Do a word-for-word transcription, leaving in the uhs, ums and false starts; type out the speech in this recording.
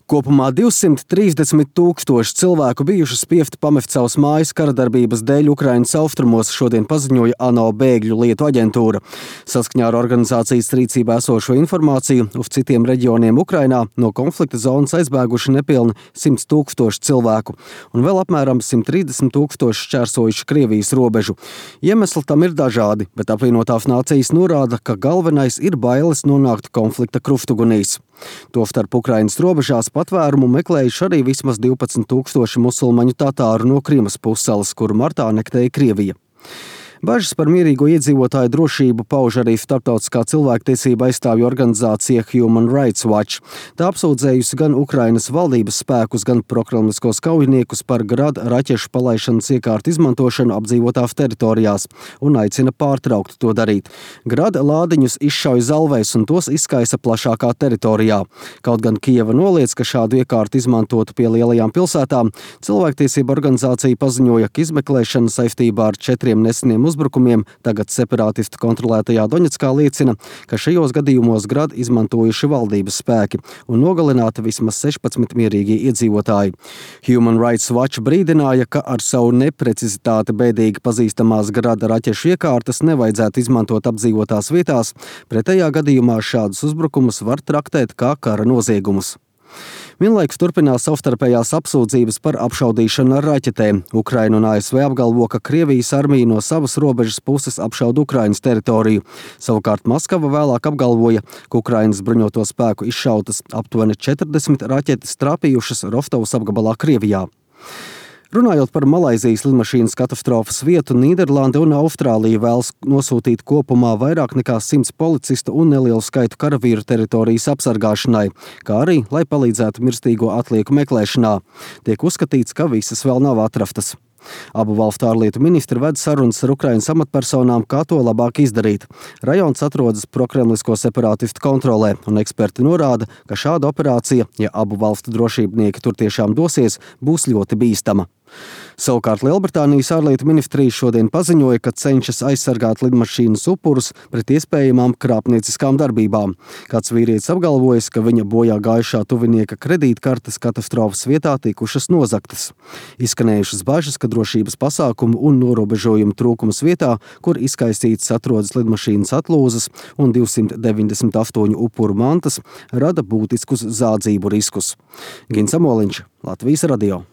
Kopumā divsimt trīsdesmit tūkstoši cilvēku bijuši spiesti pamest savas mājas kara darbības dēļ Ukrainas austrumos, šodien paziņoja ANO bēgļu lietu aģentūra. Saskaņā ar organizācijas rīcībā esošo informāciju, uz citiem reģioniem Ukrainā no konflikta zonas aizbēguši nepilni simts tūkstoši cilvēku, un vēl apmēram simt trīsdesmit tūkstoši šķērsojuši Krievijas robežu. Iemesli tam ir dažādi, bet apvienotās nācijas norāda, ka galvenais ir bailes nonākt konflikta krustgugunīs. Tostarp Ukrainas robežās patvērumu meklējuši arī vismaz divpadsmit tūkstoši musulmaņu tatāru no Krimas pussalas, kuru martā anektēja Krievija. Bažas par mierīgo iedzīvotāju drošību pauž arī starptautiskā cilvēktiesība aizstāvju organizācija Human Rights Watch. Tā apsūdzējusi gan Ukrainas valdības spēkus, gan prokremliskos kaujiniekus par grada raķešu palaišanas iekārtu izmantošanu apdzīvotās teritorijās un aicina pārtraukt to darīt. Grada lādiņus izšauj zalvēs un tos izkaisa plašākā teritorijā. Kaut gan Kijeva noliedz, ka šādu iekārtu izmantotu pie lielajām pilsētām, cilvēktiesība organizācija paziņoja, ka izmeklēšana saistībā ar četriem neseniem uzbrukumiem tagad separātistu kontrolētajā Doņetskā liecina, ka šajos gadījumos grad izmantojuši valdības spēki un nogalināti vismaz sešpadsmit mierīgie iedzīvotāji. Human Rights Watch brīdināja, ka ar savu neprecizitāti bēdīgi pazīstamās grada raķešu iekārtas nevajadzētu izmantot apdzīvotās vietās, pretējā gadījumā šādus uzbrukumus var traktēt kā kara noziegumus. Vienlaikus turpinās savstarpējās apsūdzības par apšaudīšanu ar raķetēm. Ukraina un A S V apgalvo, ka Krievijas armija no savas robežas puses apšauda Ukrainas teritoriju. Savukārt Maskava vēlāk apgalvoja, ka Ukrainas bruņoto spēku izšautas aptuveni četrdesmit raķetes trāpījušas Rostovas apgabalā Krievijā. Runājot par Malaizijas lidmašīnas katastrofas vietu, Nīderlande un Austrālija vēlas nosūtīt kopumā vairāk nekā simts policistu un nelielu skaitu karavīru teritorijas apsargāšanai, kā arī, lai palīdzētu mirstīgo atlieku meklēšanā. Tiek uzskatīts, ka visas vēl nav atrastas. Abu valstu ārlietu ministri ved sarunas ar Ukrainas amatpersonām, kā to labāk izdarīt. Rajons atrodas prokremlisko separātistu kontrolē, un eksperti norāda, ka šāda operācija, ja abu valstu drošībnieki tur tiešām dosies, būs ļoti bīstama. Savukārt Lielbritānijas ārlietu ministrija šodien paziņoja, ka cenšas aizsargāt lidmašīnas upurus pret iespējamām krāpnieciskām darbībām. Kāds vīrietis apgalvojas, ka viņa bojā gājušā tuvinieka kredītkartes katastrofas vietā tikušas nozagtas. Izskanējušas bažas, ka drošības pasākumu un norobežojumu trūkums vietā, kur izkaisītas atrodas lidmašīnas atlūzas un divsimt deviņdesmit astoņu upuru mantas, rada būtiskus zādzību riskus. Gins Amoliņš, Latvijas radio.